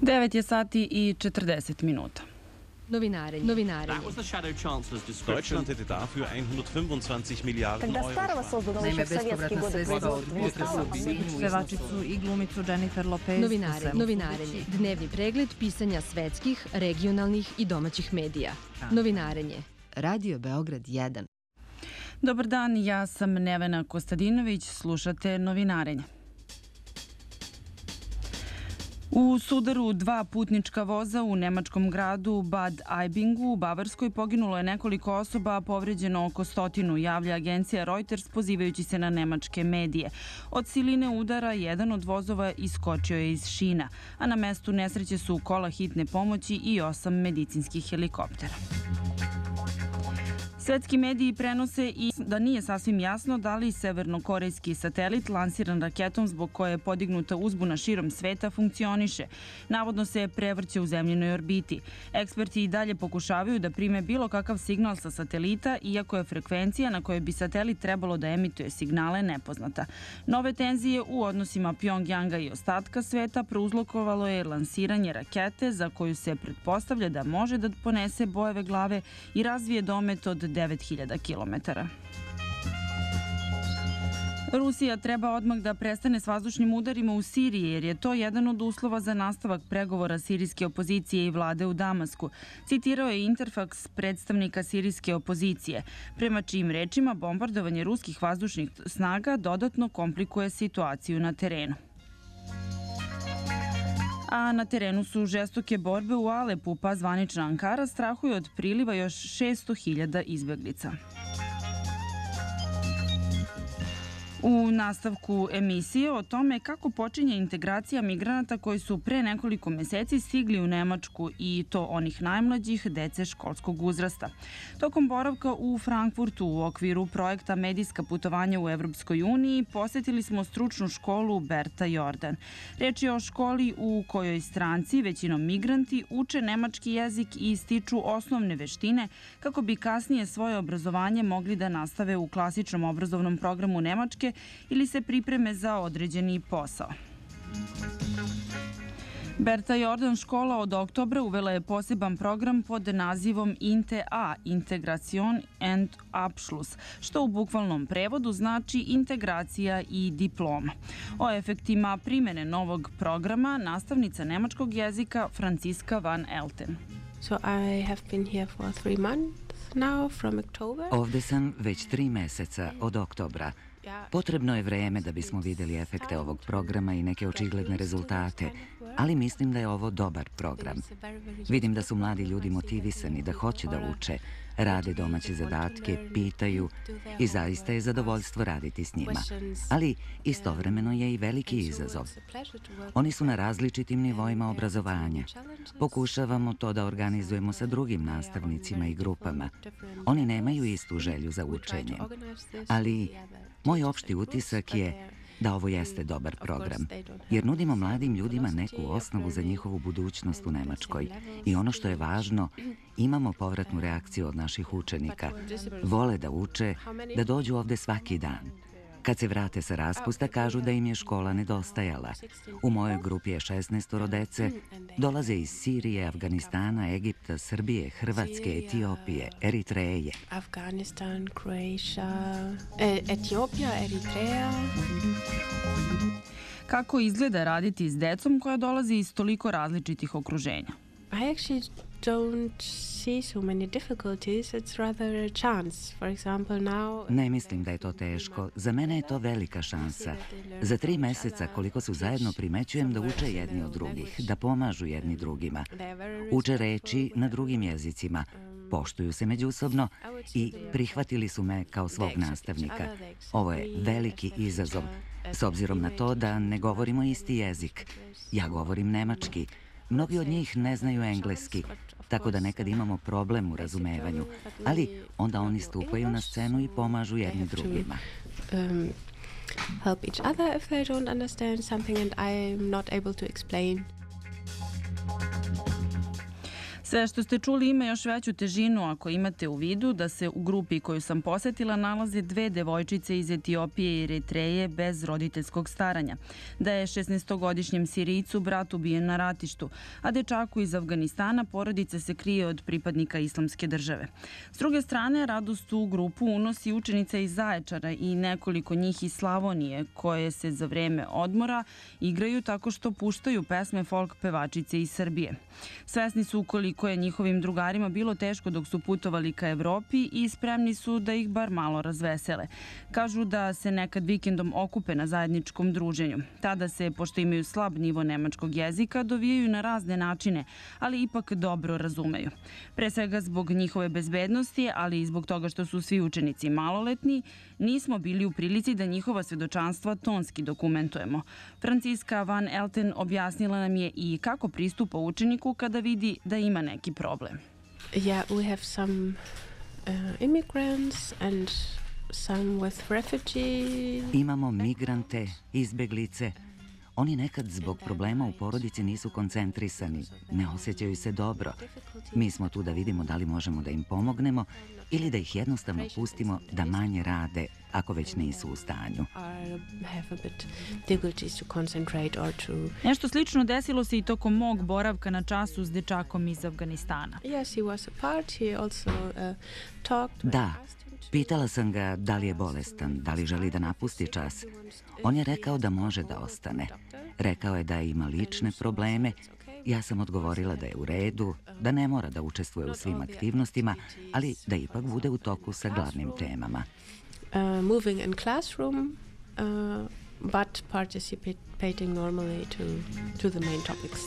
9 je sati i 40 minuta. Novinare. Deutschland hätte dafür 125 Milliarden Euro. Naime, bespovratna sredstva od pevačicu i glumicu Jennifer Lopez. Novinarenje. Dnevni pregled pisanja svetskih, regionalnih i domaćih medija. Novinarenje. Radio Beograd 1. Dobar dan, ja sam Nevena Kostadinović, slušate Novinarenje. U sudaru dva putnička voza u nemačkom gradu Bad Aibingu u Bavarskoj poginulo je nekoliko osoba, a povređeno oko 100, javlja agencija Reuters pozivajući se na nemačke medije. Od siline udara jedan od vozova iskočio je iz šina, a na mestu nesreće su kola hitne pomoći i 8 medicinskih helikoptera. Svetski mediji prenose i da nije sasvim jasno da li severnokorejski satelit lansiran raketom zbog koje je podignuta uzbuna širom sveta funkcioniše. Navodno se prevrće u zemljinoj orbiti. Eksperti i dalje pokušavaju da prime bilo kakav signal sa satelita, iako je frekvencija na kojoj bi satelit trebalo da emituje signale nepoznata. Nove tenzije u odnosima Pjongjanga i ostatka sveta prouzrokovalo je lansiranje rakete za koju se pretpostavlja da može da ponese bojeve glave i razvije domet od 9000 kilometara. Rusija treba odmah da prestane s vazdušnim udarima u Siriji, jer je to jedan od uslova za nastavak pregovora sirijske opozicije i vlade u Damasku, citirao je Interfax predstavnika sirijske opozicije, prema čijim rečima bombardovanje ruskih vazdušnih snaga dodatno komplikuje situaciju na terenu. A na terenu su žestoke borbe u Alepu, pa zvanična Ankara strahuje od priliva još 600.000 izbeglica. U nastavku emisije o tome kako počinje integracija migranata koji su pre nekoliko meseci stigli u Nemačku, i to onih najmlađih, dece školskog uzrasta. Tokom boravka u Frankfurtu u okviru projekta Medijska putovanja u Evropskoj uniji posetili smo stručnu školu Berta Jordan. Reč je o školi u kojoj stranci, većinom migranti, uče nemački jezik i stiču osnovne veštine kako bi kasnije svoje obrazovanje mogli da nastave u klasičnom obrazovnom programu Nemačke ili se pripreme za određeni posao. Berta Jordan škola od oktobra uvela je poseban program pod nazivom INTE-A, Integration and Abschluss, što u bukvalnom prevodu znači integracija i diploma. O efektima primene novog programa nastavnica nemačkog jezika Franciska van Elten. So I have been here for 3 months now from October. Ovde sam već 3 meseca od oktobra. Potrebno je vreme da bismo videli efekte ovog programa i neke očigledne rezultate, ali mislim da je ovo dobar program. Vidim da su mladi ljudi motivisani, da hoće da uče, rade domaće zadatke, pitaju i zaista je zadovoljstvo raditi s njima. Ali istovremeno je i veliki izazov. Oni su na različitim nivoima obrazovanja. Pokušavamo to da organizujemo sa drugim nastavnicima i grupama. Oni nemaju istu želju za učenjem. Ali moj opšti utisak je da ovo jeste dobar program, jer nudimo mladim ljudima neku osnovu za njihovu budućnost u Nemačkoj. I ono što je važno, imamo povratnu reakciju od naših učenika. Vole da uče, da dođu ovde svaki dan. Kad se vrate sa raspusta, kažu da im je škola nedostajala. U mojoj grupi je 16 dece, dolaze iz Sirije, Afganistana, Egipta, Srbije, Hrvatske, Etiopije, Eritreje. Afganistan, Croatia, Etiopija, Eritreja. Kako izgleda raditi s decom koja dolazi iz toliko različitih okruženja? I actually don't see so many difficulties. It's rather a chance. For example, now... Ne mislim da je to teško. Za mene je to velika šansa. Za 3 meseca koliko su zajedno primećujem da uče jedni od drugih, da pomažu jedni drugima. Uče reči na drugim jezicima, poštuju se međusobno i prihvatili su me kao svog nastavnika. Ovo je veliki izazov, s obzirom na to da ne govorimo isti jezik. Ja govorim nemački. Mnogi od njih ne znaju engleski, tako da nekad imamo problem u razumevanju, ali onda oni stupaju na scenu i pomažu jedni drugima. Help each other if they don't understand something and I'm not able to explain. Sve što ste čuli ima još veću težinu ako imate u vidu da se u grupi koju sam posetila nalaze 2 devojčice iz Etiopije i Eritreje bez roditeljskog staranja, da je 16-godišnjem Sirijcu brat ubijen na ratištu, a dečaku iz Afganistana porodica se krije od pripadnika Islamske države. S druge strane, radost u grupu unosi učenica iz Zaječara i nekoliko njih iz Slavonije, koje se za vreme odmora igraju tako što puštaju pesme folk pevačice iz Srbije. Svesni su koliko je njihovim drugarima bilo teško dok su putovali ka Evropi i spremni su da ih bar malo razvesele. Kažu da se nekad vikendom okupe na zajedničkom druženju. Tada se, pošto imaju slab nivo nemačkog jezika, dovijaju na razne načine, ali ipak dobro razumeju. Pre svega zbog njihove bezbednosti, ali i zbog toga što su svi učenici maloletni, nismo bili u prilici da njihova svedočanstva tonski dokumentujemo. Franciska Van Elten objasnila nam je i kako pristupa učeniku kada vidi da ima neki problem. Yeah, we have some immigrants and some with refugees. Imamo migrante, izbeglice. Oni nekad zbog problema u porodici nisu koncentrisani, ne osjećaju se dobro. Mi smo tu da vidimo da li možemo da im pomognemo ili da ih jednostavno pustimo da manje rade ako već nisu u stanju. Nešto slično desilo se i tokom mog boravka na času s dečakom iz Afganistana. Da, pitala sam ga da li je bolestan, da li želi da napusti čas. On je rekao da može da ostane. Rekao je da ima lične probleme. Ja sam odgovorila da je u redu, da ne mora da učestvuje u svim aktivnostima, ali da ipak bude u toku sa glavnim temama. Moving in classroom, but participating normally to the main topics.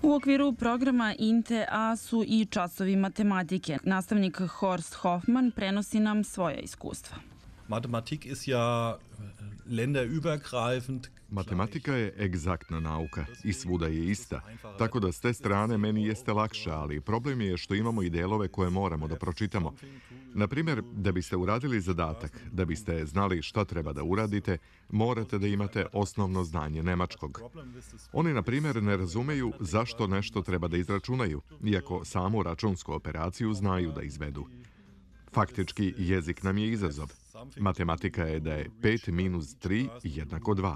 U okviru programa INTE-A su i časovi matematike. Nastavnik Horst Hoffmann prenosi nam svoja iskustva. Matematik ist ja länderübergreifend. Matematika je egzaktna nauka i svuda je ista, tako da s te strane meni jeste lakše, ali problem je što imamo i delove koje moramo da pročitamo. Na primjer, da biste uradili zadatak, da biste znali šta treba da uradite, morate da imate osnovno znanje nemačkog. Oni, na primjer, ne razumeju zašto nešto treba da izračunaju, iako samu računsku operaciju znaju da izvedu. Faktički, jezik nam je izazov. Matematika je da je 5 minus 3 jednako 2.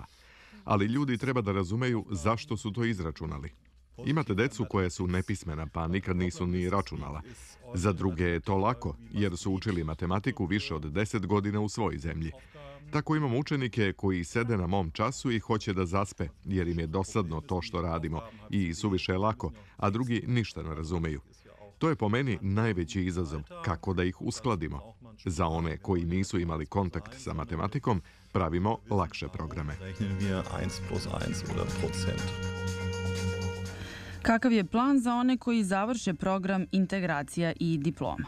Ali ljudi treba da razumeju zašto su to izračunali. Imate decu koje su nepismena, pa nikad nisu ni računala. Za druge je to lako, jer su učili matematiku više od 10 godina u svojoj zemlji. Tako imamo učenike koji sede na mom času i hoće da zaspe, jer im je dosadno to što radimo i suviše je lako, a drugi ništa ne razumeju. To je po meni najveći izazov, kako da ih uskladimo. Za one koji nisu imali kontakt sa matematikom, pravimo lakše programe. Kakav je plan za one koji završe program integracija i diploma?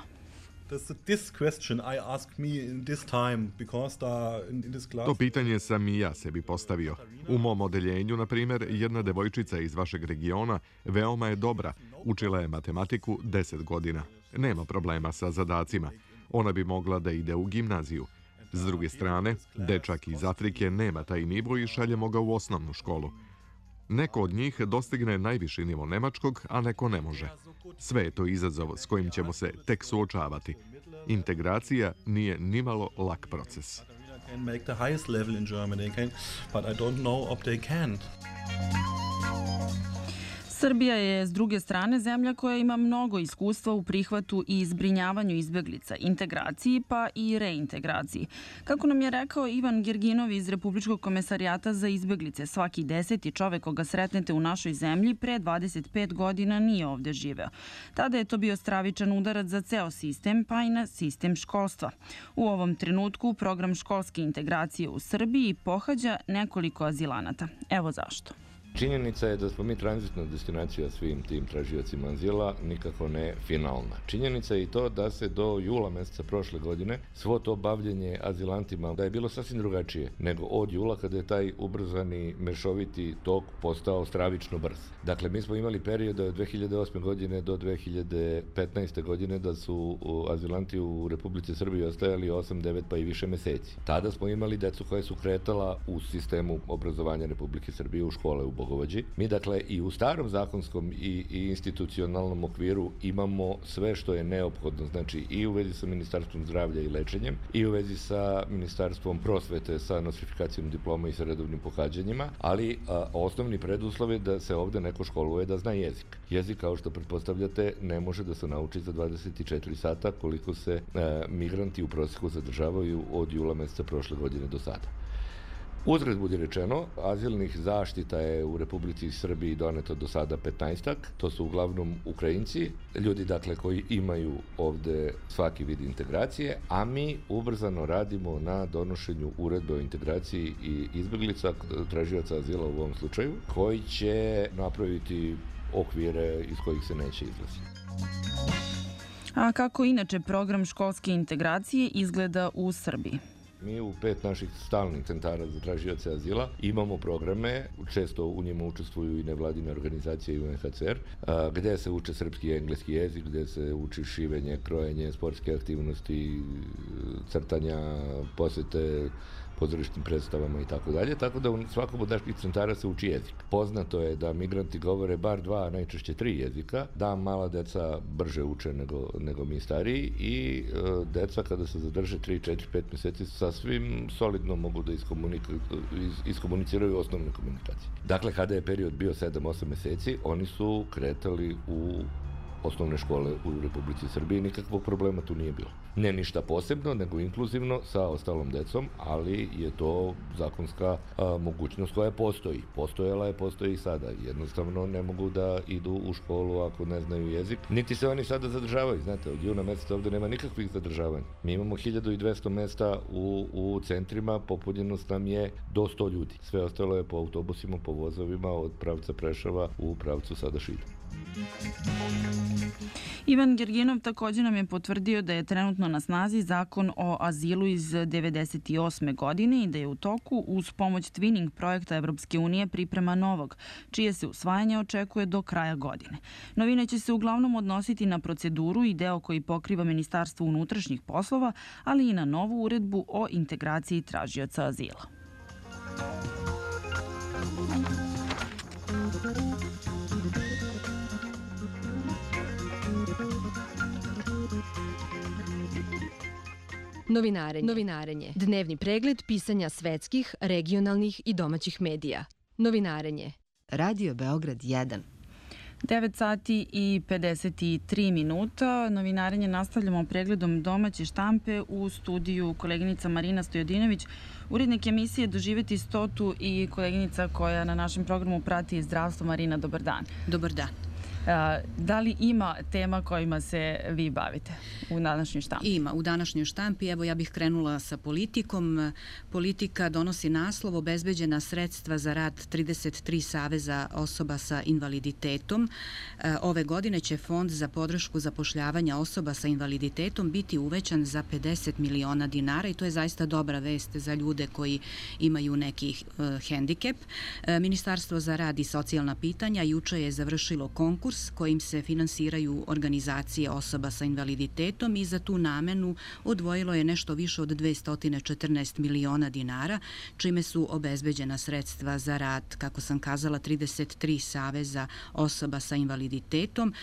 To pitanje sam i ja sebi postavio. U mom odeljenju, na primjer, jedna devojčica iz vašeg regiona veoma je dobra. Učila je matematiku 10 godina. Nema problema sa zadacima. Ona bi mogla da ide u gimnaziju. S druge strane, dečak iz Afrike nema taj nivo i šaljemo ga u osnovnu školu. Neko od njih dostigne najviši nivo nemačkog, a neko ne može. Sve je to izazov s kojim ćemo se tek suočavati. Integracija nije nimalo lak proces. Srbija je, s druge strane, zemlja koja ima mnogo iskustva u prihvatu i zbrinjavanju izbeglica, integraciji pa i reintegraciji. Kako nam je rekao Ivan Gerginov iz Republičkog komesarijata za izbeglice, svaki 10. čovek koga sretnete u našoj zemlji pre 25 godina nije ovde živeo. Tada je to bio stravičan udarac za ceo sistem, pa i na sistem školstva. U ovom trenutku program školske integracije u Srbiji pohađa nekoliko azilanata. Evo zašto. Činjenica je da smo mi tranzitna destinacija svim tim tražiocima azila, nikako ne finalna. Činjenica je i to da se do jula meseca prošle godine svo to bavljenje azilantima da je bilo sasvim drugačije nego od jula kada je taj ubrzani mešoviti tok postao stravično brz. Dakle, mi smo imali period od 2008. godine do 2015. godine da su azilanti u Republici Srbiji ostajali 8, 9 pa i više meseci. Tada smo imali decu koja su kretala u sistemu obrazovanja Republike Srbije u škole u bogovođi. Mi dakle i u starom zakonskom i institucionalnom okviru imamo sve što je neophodno, znači i u vezi sa Ministarstvom zdravlja i lečenjem, i u vezi sa Ministarstvom prosvete sa nostrifikacijom diploma i sa redovnim pohađanjima, ali osnovni preduslov je da se ovde neko školuje da zna jezik. Jezik, kao što pretpostavljate, ne može da se nauči za 24 sata koliko se migranti u prosjeku zadržavaju od jula meseca prošle godine do sada. Uzgred budi rečeno, azilnih zaštita je u Republici Srbiji doneto do sada 15-ak, to su uglavnom Ukrajinci, ljudi dakle koji imaju ovde svaki vid integracije, a mi ubrzano radimo na donošenju uredbe o integraciji i izbeglica, tražioca azila u ovom slučaju, koji će napraviti okvire iz kojih se neće izlaziti. A kako inače program školske integracije izgleda u Srbiji? Mi u 5 naših stalnih centara za tražioce azila imamo programe, često u njima učestvuju i nevladine organizacije i UNHCR, gde se uče srpski i engleski jezik, gde se uči šivenje, krojenje, sportske aktivnosti, crtanja, posete pozorišnim predstavama i tako dalje, tako da u svakom od naših centara se uči jezik. Poznato je da migranti govore bar 2, a najčešće 3 jezika, da mala deca brže uče nego mi stariji i deca kada se zadrže 3, 4, 5 meseci sasvim solidno mogu da iskomuniciraju osnovne komunikacije. Dakle, kada je period bio 7-8 meseci, oni su kretali u osnovne škole u Republici Srbiji, nikakvog problema tu nije bilo. Ne ništa posebno, nego inkluzivno sa ostalom decom, ali je to zakonska mogućnost koja postoji. Postojala je, postoji i sada. Jednostavno ne mogu da idu u školu ako ne znaju jezik. Niti se oni sada zadržavaju. Znate, od juna meseca ovde nema nikakvih zadržavanja. Mi imamo 1200 mesta u centrima, popunjenost nam je do 100 ljudi. Sve ostalo je po autobusima, po vozovima od pravca Preševa u pravcu sada Šida. Ivan Gerginov također nam je potvrdio da je trenutno na snazi zakon o azilu iz 1998. godine i da je u toku uz pomoć Twinning projekta Evropske unije priprema novog, čije se usvajanje očekuje do kraja godine. Novine će se uglavnom odnositi na proceduru i deo koji pokriva Ministarstvo unutrašnjih poslova, ali i na novu uredbu o integraciji tražioca azila. Novinarenje. Dnevni pregled pisanja svetskih, regionalnih i domaćih medija. Novinarenje. Radio Beograd 1. 9 sati i 53 minuta. Novinarenje nastavljamo pregledom domaće štampe u studiju koleginica Marina Stojadinović, urednik emisije Doživeti 100 i koleginica koja na našem programu prati zdravstvo. Marina, dobar dan. Dobar dan. Da li ima tema kojima se vi bavite u današnjoj štampi? Ima, u današnjoj štampi. Evo, ja bih krenula sa politikom. Politika donosi naslov obezbeđena sredstva za rad 33 saveza osoba sa invaliditetom. Ove godine će fond za podršku zapošljavanja osoba sa invaliditetom biti uvećan za 50 miliona dinara i to je zaista dobra vest za ljude koji imaju neki hendikep. Ministarstvo za rad i socijalna pitanja juče je završilo konkurs kojim se finansiraju organizacije osoba sa invaliditetom i za tu namenu odvojilo je nešto više od 214 miliona dinara, čime su obezbeđena sredstva za rad, kako sam kazala, 33 saveza osoba sa invaliditetom.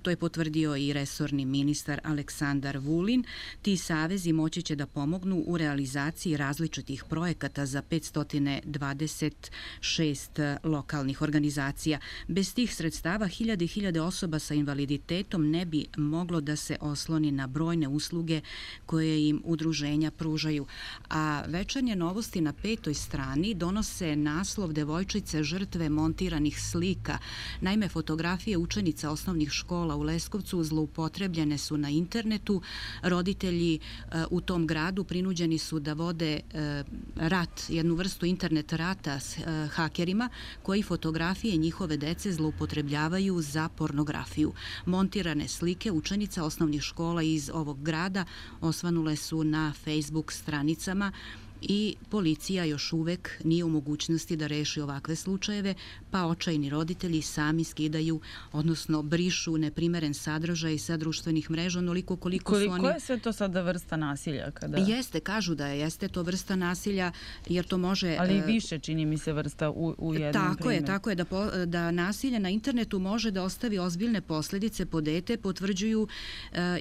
To je potvrdio i resorni ministar Aleksandar Vulin. Ti savezi moći će da pomognu u realizaciji različitih projekata za 526 lokalnih organizacija. Bez tih sredstava hiljade osoba sa invaliditetom ne bi moglo da se osloni na brojne usluge koje im udruženja pružaju. A večernje novosti na 5. strani donose naslov devojčice žrtve montiranih slika. Naime, fotografije učenica osnovnih škola u Leskovcu zloupotrebljene su na internetu. Roditelji u tom gradu prinuđeni su da vode rat, jednu vrstu internet rata s hakerima koji fotografije njihove dece zloupotrebljavaju za pornografiju. Montirane slike učenica osnovnih škola iz ovog grada osvanule su na Facebook stranicama i policija još uvek nije u mogućnosti da reši ovakve slučajeve, pa očajni roditelji sami skidaju, odnosno brišu neprimeren sadržaj sa društvenih mreža, onoliko koliko su oni... Koja je sve to sada vrsta nasilja? Jeste, kažu da jeste to vrsta nasilja, jer to može... Ali više, čini mi se, vrsta u jednom primjeru. Tako je, da nasilje na internetu može da ostavi ozbiljne posledice po dete, potvrđuju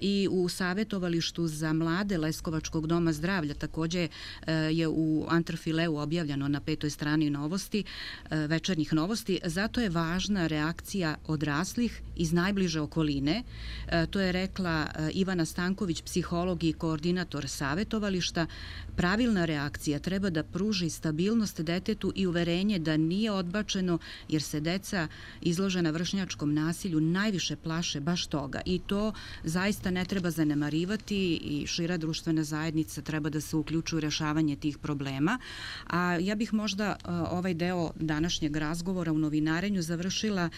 i u savjetovalištu za mlade Leskovačkog doma zdravlja. Takođe je u Antrafileu objavljeno na 5. strani novosti, večernjih novosti. Zato je važna reakcija odraslih iz najbliže okoline. To je rekla Ivana Stanković, psiholog i koordinator savjetovališta. Pravilna reakcija treba da pruži stabilnost detetu i uverenje da nije odbačeno, jer se deca izložena vršnjačkom nasilju najviše plaše baš toga. I to zaista ne treba zanemarivati i šira društvena zajednica treba da se uključuje u rešavanje tih problema. A ja bih možda ovaj deo današnjeg razgovora u novinarenju završila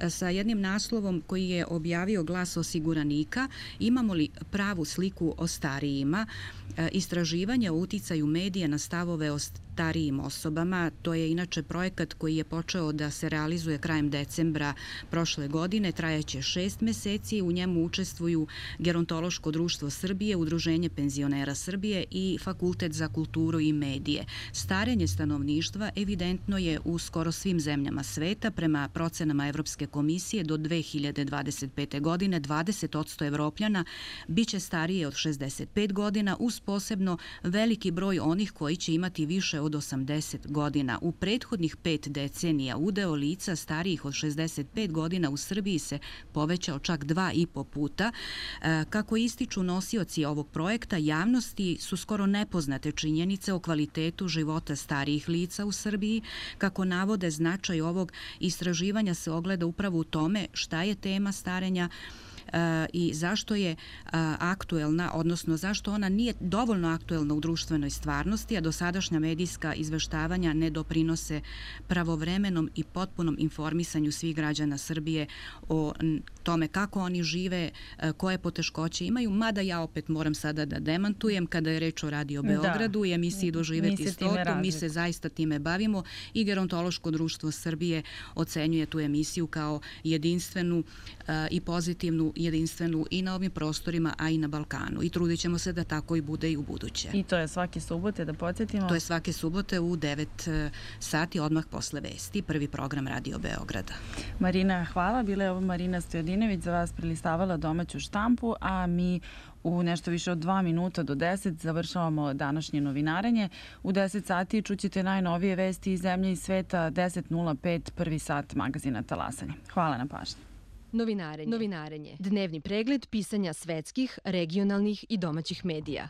sa jednim naslovom koji je objavio Glas osiguranika. Imamo li pravu sliku o starijima? Istraživanje o uticaju medija na stavove o starijim osobama. To je inače projekat koji je počeo da se realizuje krajem decembra prošle godine. Trajaće 6 meseci. U njemu učestvuju Gerontološko društvo Srbije, Udruženje penzionera Srbije i Fakultet za kulturu i medije. Starenje stanovništva evidentno je u skoro svim zemljama sveta. Prema procenama Evropske komisije do 2025. godine 20% Evropljana biće starije od 65 godina, uz posebno veliki broj onih koji će imati više od 80 godina. U prethodnih 5 decenija udeo lica starijih od 65 godina u Srbiji se povećao čak 2,5 puta. Kako ističu nosioci ovog projekta, javnosti su skoro nepoznate činjenice o kvalitetu života starijih lica u Srbiji. Kako navode, značaj ovog istraživanja se ogleda upravo u tome šta je tema starenja i zašto je aktuelna, odnosno zašto ona nije dovoljno aktuelna u društvenoj stvarnosti, a dosadašnja medijska izveštavanja ne doprinose pravovremenom i potpunom informisanju svih građana Srbije o tome kako oni žive, koje poteškoće imaju, mada ja opet moram sada da demantujem kada je reč o Radio Beogradu i emisiji Doživeti stotu, mi se zaista time bavimo i Gerontološko društvo Srbije ocenjuje tu emisiju kao jedinstvenu i pozitivnu, jedinstvenu i na ovim prostorima, a i na Balkanu. I trudit ćemo se da tako i bude i u buduće. I to je svake subote, da podsjetimo? To je svake subote u 9 sati, odmah posle vesti, prvi program Radio Beograda. Marina, hvala. Bila je ovo Marina Stojadinević, za vas prelistavala domaću štampu, a mi u nešto više od 2 minuta do 10 završavamo današnje novinarenje. U 10 sati čućete najnovije vesti iz zemlje i sveta, 10:05, prvi sat magazina Talasanje. Hvala na pažnji. Novinarenje. Dnevni pregled pisanja svetskih, regionalnih i domaćih medija.